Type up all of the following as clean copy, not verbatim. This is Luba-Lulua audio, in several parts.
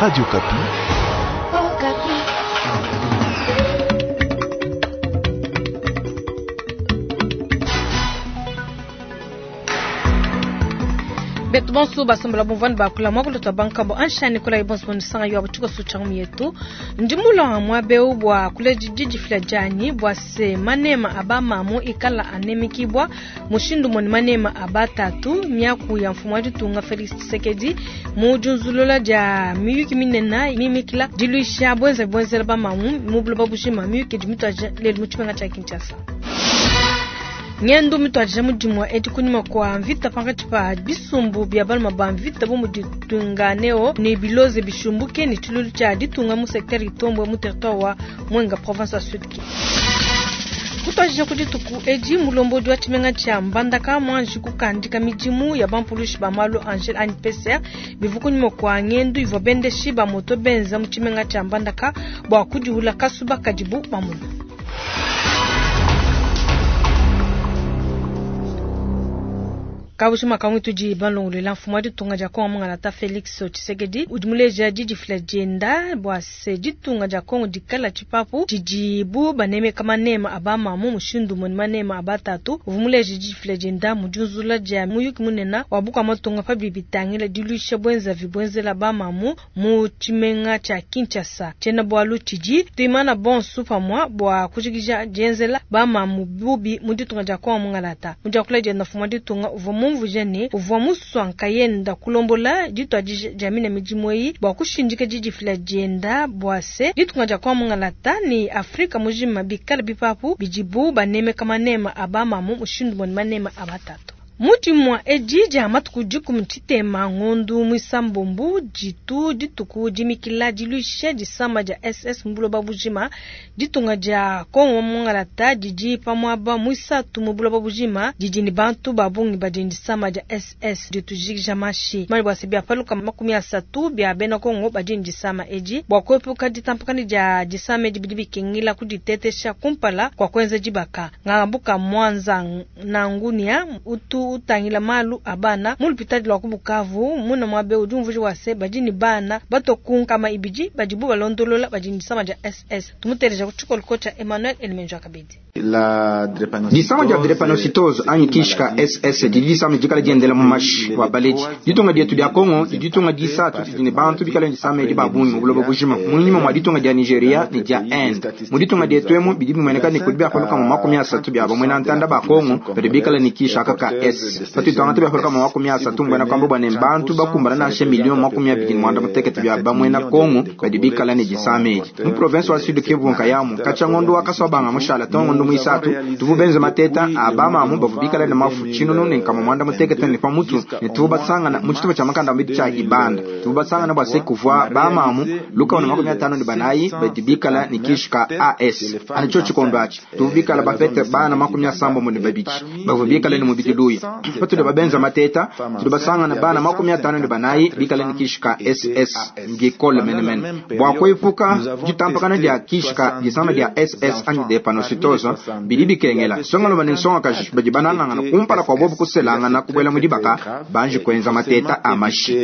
Radio Okapi. Betu bonso basombola bumvani bakula mwakulu twa bankambo anshani kula ibonso bonisanga yo abuchiko suchangu yetu ndi mulonga mwabeu bwa kuleji jijifila jani bwa se manema aba mamu ikala anemikibwa mushindu moni manema aba tatu miaku ya mfumu wa ditunga Felix Tshisekedi mu junzulula dia miyuki minena mimikila diluisha bwenza bwenzela ba mamu mu buloba bujima miyuki dimitwa lelu mu tshimenga tshia Kinshasa. Ngendu mitwadija mudimu edi kunyima kwa mvita pankatshi pa bisumbu bia baluma ba mvita bu mudi Twirwaneho ne biloze bishumbuke ne tshilulu tshia ditunga mu secteur Itombwe mu territoire wa Mwenga province wa Sud Kivu. Kutwadija ku dituku edi mulombodi wa tshimenga tshia Mbandaka mwanji kukandika midimu ya bampulushi ba malu Angel anyi PCR bivua kunyima kwa ngendu ivua bendeshi ba moto benza mu tshimenga tshia Mbandaka bua kudiula kasuba kadibu bamuna. Kabushima kamwe tudi balongolela mfumu wa ditunga dia Kongo mungalata Felix Tshisekedi udi muleja didifila dienda bua se ditunga dia Kongo dikala tshipapu tshidibu banemeka manema aba mamu mushindu moni manema aba tatu. Uvua muleja didifila dienda mu diunzula dia muyuki munene wa bukua matunga pa bidi bitangila diluisha bwenzavi bwenzela ba mamu mu tshimenga tshia Kinshasa. Tshiena bualu tshidi tuimana bonso pamua bua kujikija dienzela ba mamu bubi mu ditunga dia Kongo mungalata. Mu diakula dienda mfumu wa ditunga uvua mumvuije ne uvua musua nkayenda kulombola dituadija dia mine midimu eyi bua kushindika didifila dienda bua se ditunga dia Kongo mungalata ne Afrika mujima bikala bipapu bidibu banemeka manema a bamamu mushindu moni manema a batatu. Mudimu edi dia matuku dikumi tshitema ngondu mwisambombu ditu dituku dimikila diluisha disama dia SS mu buloba bujima. Ditunga dia Kongo mungalata didi pamuaba mwisatu mu buloba bujima didi ne bantu ba bungi badi disama dia SS ditujikija mashi mali bua se bia paluka 30 bia bena Kongo badi disama edi bua kuepuka ditampakana dia disama edi bidi bikengela kuditetesha kumpala kwa kuenza dibaka. Ngambuka Mwanza Nangunia utu utangila malu abana mu lupitadi lwa ku Bukavu muna mwabe udi umvuija wa se badi ne bana batokunkama ibidi badibu balondolola badi disama dia SS. Tumuteleja ku tshikolo tshia Emmanuel Elimenjo Kabidi. Disama dia drepanocytose anyi kishika SS didi disama dikala diendela mu mashi wa baledi. Ditunga dietu dia Kongo didi ditunga disatu didi ne bantu bikala disama edi ba bungi mu buloba bujima munyima mwa ditunga dia Nigeria ne dia Inde. Mu ditunga dietu emu bidi bimueneka ne kudi biapaluka mu 30 bia bamwena ntanda ba Kongo badi bikala ne kishaka ka S. Patudi tuangata biapaluka mu 30 mbwena kwamba bua ne bantu bakumbana nansha milioni 28 bia bamwena Kongo badi bikala ne disama edi. Mu province wa Sud Kivu nkayamu katshia ngondo wa kaswabanga mushala to ngondo mwisatu tuvu benze mateta abamamu bavu bikala ne mafu tshinunu ne nkama mwanda mutekete ne pamutu ne tuvu basangana mu tshitupa tshia makanda mbidi tshia ibanda tuvu basangana bua se kuvua bamamu luka na 54 badi bikala ne kishika AS ani tsho tshikondo atshi tuvu bikala bapete bana 72 bavu bikala ne mubidi luya patudi babenza mateta tudi basangana bana 54 bikala ne kishika SS ngikole menemene bua kuepuka ditampakana dia kishika disama dia SS anyi drepanocytose bidi bikengela songaloma ne nsongakaji badi banangangana kumpala kwa bobu kuselangana kubuela mu dibaka banji kuenza mateta a mashi.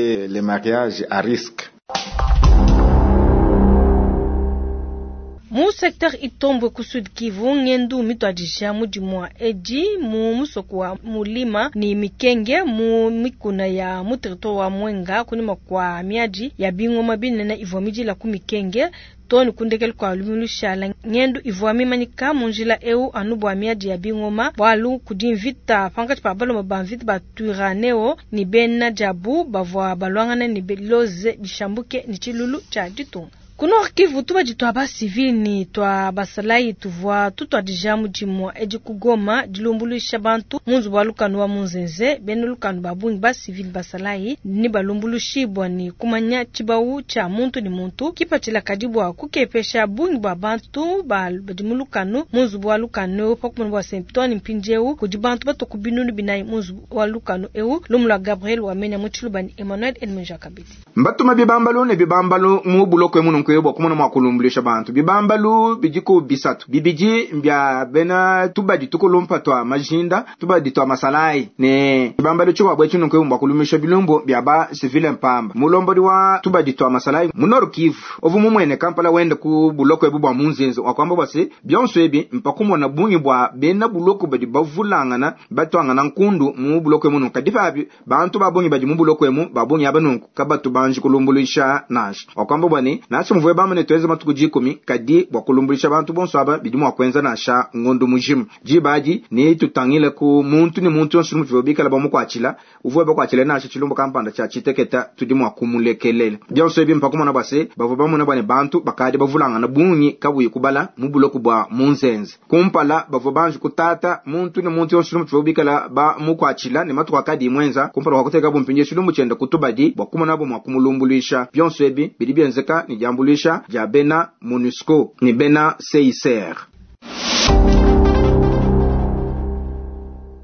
Mu secteur Itombwe ku Sud Kivu ngendu mitwadija mudimu wa edi mu musoko wa mulima ni mikenge mu mikuna ya mu territoire wa Mwenga kunyima kwa miadi ya bingoma binene ivua midila ku mikenge toni kundekele kwa lumilushala ngendu ivua mimanyika mu njila eu anu bua miadi ya bingoma bwalu kudi mvita pankatshi pa baloma ba mvita ba Twirwaneho ni bena diabu bavua balwangana ne biloze bishambuke ni tshilulu tshia ditunga. Ku Nord Kivu tubadi twa ba civil ni twa basalayi tuvua tutwadija mudimu edi ku Goma dilumbuluisha bantu mu nzubu wa lukanu wa Munzenze. Bena lukanu ba bungi ba civil basalayi ni balumbulushibwa ni kumanya tshibawu tshia muntu ni muntu kipatshila kadi bua kukepesha bungi bua bantu badi mu lukanu mu nzubu wa lukanu pa kumona bua Saint-Antoine mpindieu kudi bantu batoku binunu binayi mu nzubu wa lukanu eu. Lumu lua Gabriel Wamenya mu Tshiluba ni Emmanuel Elmenja Kabidi. Mbatuma bibambalu ne bibambalu mu buloko emu. nunku bua kumona mua kulumbuluisha bantu. Bibambalu bidiku bisatu, bibidi mbia bena tubadi tukulumpa tua majinda, tubadi tua masalayi, ne tshibambalu tshikuabu etshi nunku bua kulumbuluisha bilumbu bia ba civile mpamba. Mulombodi wa tubadi tua masalayi mu Nord Kivu uvua mumuene Kampala wenda ku buloko ebu bua Munzenze, wakuamba bua se bionso ebi mpakumona bungi bua bena buloko badi bavulangana batuangana nkundu mu buloko emu nunku. Kadi pabi bantu ba bungi badi mu buloko emu ba bungi aba nunku kabatu banji kulumbuluisha nansha. Wakuamba bua ne nansha muvue bamane tuenza matuku 10, kadi bua kulumbuluisha bantu bonso aba bidi mua kuenza nansha ngondo mujima. Diba adi ne tutangile ku muntu ne muntu yonso muvue bikala bamukuatshila, uvue bakuatshila nansha tshilumbu kampanda tshia tshiteketa, tudi mua kumulekelela. Bionso ebi mpakumona bua se bavua bamona bua ne bantu bakadi bavulangana bungi kabuyi kubala mu buloko bua Munzenze. Kumpala bavua banji kutata muntu ne muntu yonso muvue bikala bamukuatshila ne matuku akadi muenza kumpala kwa kuteka bumpinje tshilumbu tshienda kutubadi bua kumonabo mua kumulumbuluisha. Bionso ebi bidi bienzeka ne diambuluisha dia bena MONUSCO ne bena CICR.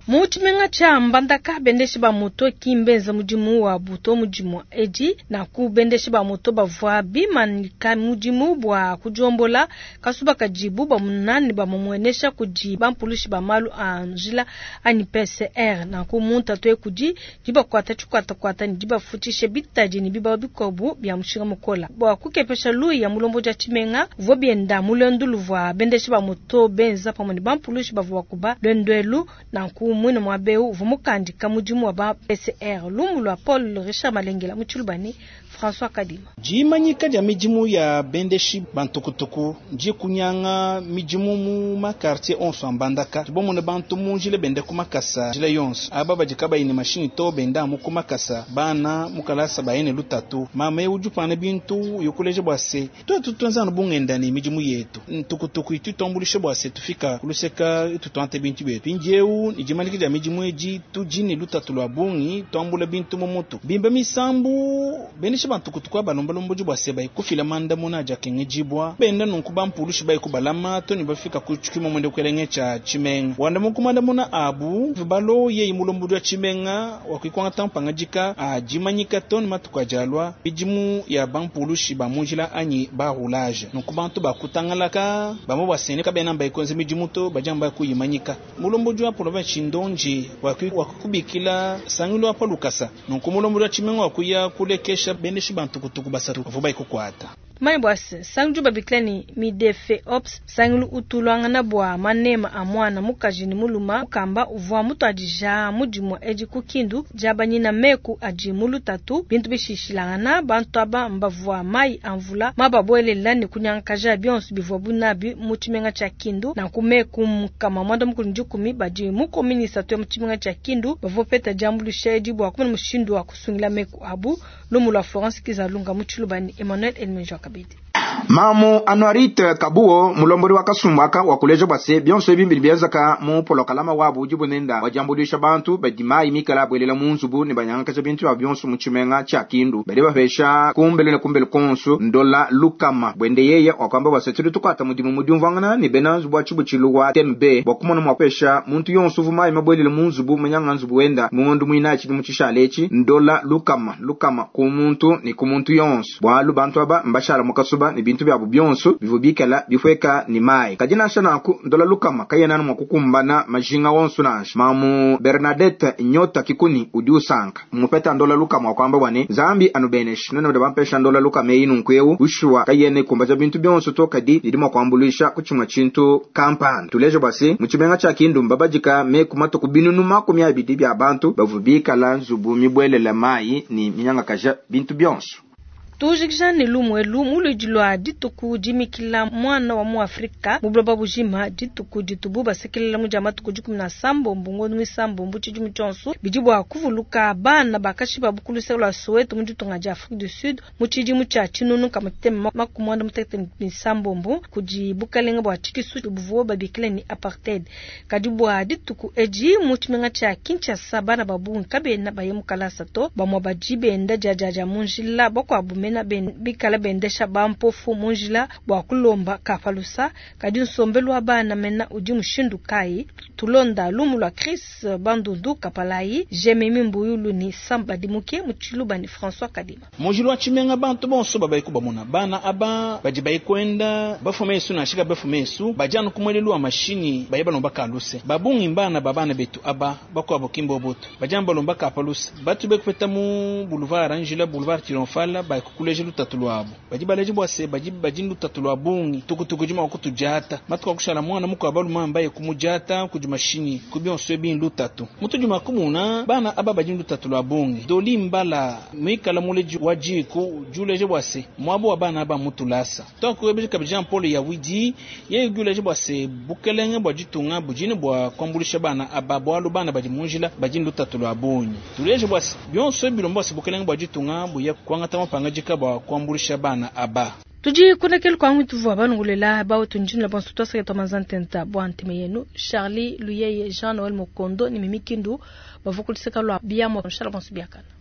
Mu tshimenga tshia Mbandaka, bendeshi ba moto ki mbenza mudimu wa buto mudimu edi. Nanku bendeshi ba moto bavua bimanyika mudimu bua kudiombola kasuba kadibu bamuna ne bamumuenesha kudi bampulushi ba malu a njila anyi PCR. Nanku muntu atoye kudi dibakuata tshikuatakuata ne dibafutshishe bitadi ne bibawu bikuabu bia mushinga mukola. Bua kukepesha luya ya mulombo dia tshimenga uvua bienda mu luendu luvua bendeshi ba moto benza pamue ne bampulushi bavua bakuba luendu Nanku mwine muaba eu uvua mukandika mudimu wa ba PCR. Lumu lua Paul Richard Malengela mu Tshilubani, François Kadima. Dimanyika dia midimu ya bendeshi bantukutuku ndi kunyanga midimu mu makartier onso a Mbandaka. Tubomone bantu mu njila benda ku makasa njila yonso. Aba badi kabayi ne mashinyi to benda amu ku makasa. Bana mu kalasa baye ne lutatu. Mama eu udi upana bintu yokuleja bua se tuetu tuenza anu bungenda ne midimu yetu. Ntukutuku itu tuambulisha bua se tufika kuluseka itu tuante bintu bietu. Mpindieu ne dimanyika dia midimu edi tudi ne lutatu lua bungi tuambula bintu mu mutu. Bimba misambu bendeshi bantukutuku abalombalomba bua se bayi kufila mandamuna adi akengedibua. Benda nunku bampulushi bayi kubalama to ne bafika ku tshikimo mwende kukelenge tshia tshimenga. Wanda mu kumandamuna abu balo yeyi mulombodi wa tshimenga wakuikwangata mpangadika a dimanyika to ne matuku adi alua midimu ya bampulushi ba mu njila anyi ba roulage. Nunku bantu bakutangalaka bamwe bua sene kabena mbayi kuenza midimu to badi amba kuyimanyika. Mulombodi wa province Chindonji wakubikila sangilu wa lukasa. Nunku mulombodi wa tshimenga wakuya kulekesha bendeshi bantukutuku basatu bavua bayi kukuata. Tumanye bua se sangilu babikila ne Midefe Ops, sangilu utuluangana bua manema a mwana mukaji ne muluma mukamba uvua mutuadija mudimu edi ku Kindu diabanyina meku adi mu lutatu bintu bishishilangana bantu aba mbavua mai a mvula mababuelela ne kunyangakaja bionso bivua bunabi mu tshimenga tshia Kindu. Nanku meku nkama mwanda mukulu 10 badi mu komini isatu ya mu tshimenga tshia Kindu bavua peta diambuluisha edi bua kumona mushindu wa kusungila meku abu. Lumu lua Florence Kizalunga mu Tshilubani, Emmanuel Elmenjo Kabidi. Mamu Anuarite Kabuo mulombodi wa kasumbaka wa kuleja bua se bionso ebi bidi bienzeka mu polokalama wabu udi bunenda wadiambuluisha bantu badi mayi mikala abuelela mu nzubu ne banyangakaja bintu bia bionso mu tshimenga tshia Kindu. Badi bapesha kumbelu ne kumbelu konso ndola lukama bwende yeye wakwamba bua se tudi tukuata mudimu mu diumvuangana ne bena nzubu wa tshibutshilu wa TMB bua kumona mua kupesha muntu yonso uvu mayi mabuelele mu nzubu munyanga nzubu wenda mu ngondo muinayi tshidimu tshishale etshi ndola lukama lukama ku muntu ne ku muntu yonso bualu bantu aba mbashala mu kasuba ne bintu biabu bionso bivua bikala bipueka ne mayi. Kadi nansha nanku ndola lukama kayena mua kukumbana majinga wonso nansha. Mamu Bernadette Nyota Kikuni udi usanka mupeta ndola lukama wakwamba bua ne Nzambi anubeneshe none badi bampesha ndola lukama eyi nunku eu ushuwa kayena ikumbaja bintu bionso to kadi idi mua kuambuluisha ku tshimue tshintu kampanda. Tuleje bua se mu tshimenga tshia Kindu mbabadika meku matuku binunu 20 bia bantu bavua bikala nzubu mibuelela mayi ne minyangakaja bintu bionso. Tujikija ne lumu elu muludi lua dituku dimikila mwana wa mu Afrika mu buloba bujima dituku ditubu basekelela mu dia matuku 17 ngondo misambo tshidimu tshionso bidi bua kuvuluka bana bakashi ba bukuluseka lua Soweto mu ditunga dia Afrique du Sud mu tshidimu tshia tshinunu kamatema makumwanda mutekete misambombo kudi bukalenga bua tshikisu buvua babikila ne apartheid. Kadi bua dituku edi mu tshimenga tshia Kinshasa bana ba bungi kabena baye mu kalasa to bamwe badi benda dia dia dia mu njila bakuabu. mena bikala bendesha bampofu mu njila bua kulomba ka pa lusa. Kadi nsombelu wa bana mena udi mushindu kayi? Tulonda lumu lua Chris Bandundu Kapalayi, Jememi Mbuyulu ni Sam Badimuke mu Tshiluba ni François Kadima. Mu njila wa tshimenga bantu bonso babayi kubamona bana aba badi bayi kuenda bafuma esu nansha kabafuma esu badi anu ku muelelu wa mashinyi baye balomba ka luse. Babungi mbana ba bana betu aba bakuabo ki mboboto badi anu balomba ka pa luse. Batu bekupeta mu boulevard njila boulevard Triomphal bayi kukuleja lutatu luabo. Badi baleja bua se badi badi lutatu lua bungi tukutuku dima kutudiata matuku akushala mwana mukuabo balume mbaye kumudiata kudi mashinyi ku bionso ebi lutatu. Mutu dima kumuna bana aba badi lutatu lua bungi. Doli mbala muikala muleji wa jiko juleje bua se mwabo wa bana aba mutulasa. Twakubeje kabidi Jean Paul Yawidi yeye juleje bua se bukelenge bua ditunga budine bua kuambulisha bana aba bwalu bana badi munjila badi lutatu lua bungi. Tuleje bua se bionso bilombo bua se bukelenge bua ditunga buya kuangata mapanga bua kuambulisha bana aba. Tudi kunekelu kwa mwitu vwa banungulela bawo tunjinula bonso twasake twa manzantenta bwa ntime yenu Charlie Luyeye Jean Noël Mokondo ni Mimi Kindu bavukuliseka lwa biamo shala bonso biakana.